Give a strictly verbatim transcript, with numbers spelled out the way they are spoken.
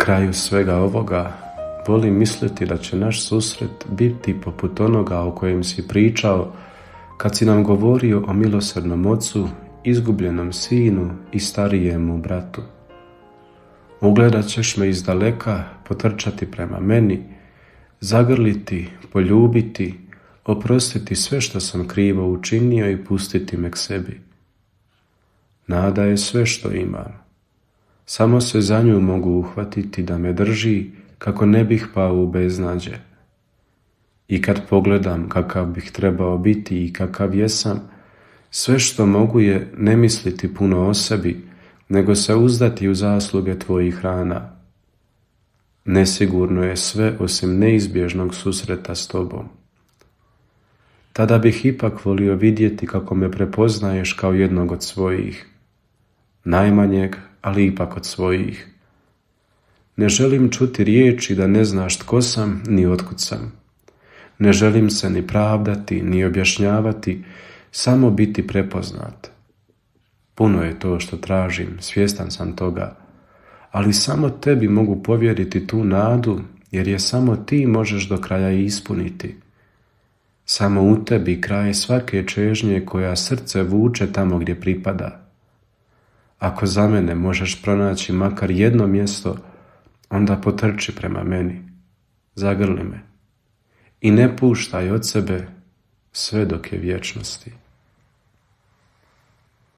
kraju svega ovoga, volim misliti da će naš susret biti poput onoga o kojem si pričao kad si nam govorio o milosrdnom ocu, izgubljenom sinu i starijemu bratu. Ugledat ćeš me iz daleka, potrčati prema meni, zagrliti, poljubiti, oprostiti sve što sam krivo učinio i pustiti me k sebi. Nada je sve što imam. Samo se za nju mogu uhvatiti da me drži kako ne bih pao u beznađe. I kad pogledam kakav bih trebao biti i kakav jesam, sve što mogu je ne misliti puno o sebi, nego se uzdati u zasluge tvojih rana. Nesigurno je sve osim neizbježnog susreta s tobom. Tada bih ipak volio vidjeti kako me prepoznaješ kao jednog od svojih, najmanjeg, ali ipak od svojih. Ne želim čuti riječi da ne znaš tko sam ni otkud sam. Ne želim se ni pravdati, ni objašnjavati, samo biti prepoznat. Puno je to što tražim, svjestan sam toga, ali samo tebi mogu povjeriti tu nadu, jer je samo ti možeš do kraja ispuniti. Samo u tebi kraj svake čežnje koja srce vuče tamo gdje pripada. Ako za mene možeš pronaći makar jedno mjesto, onda potrči prema meni, zagrli me i ne puštaj od sebe sve dok je vječnosti.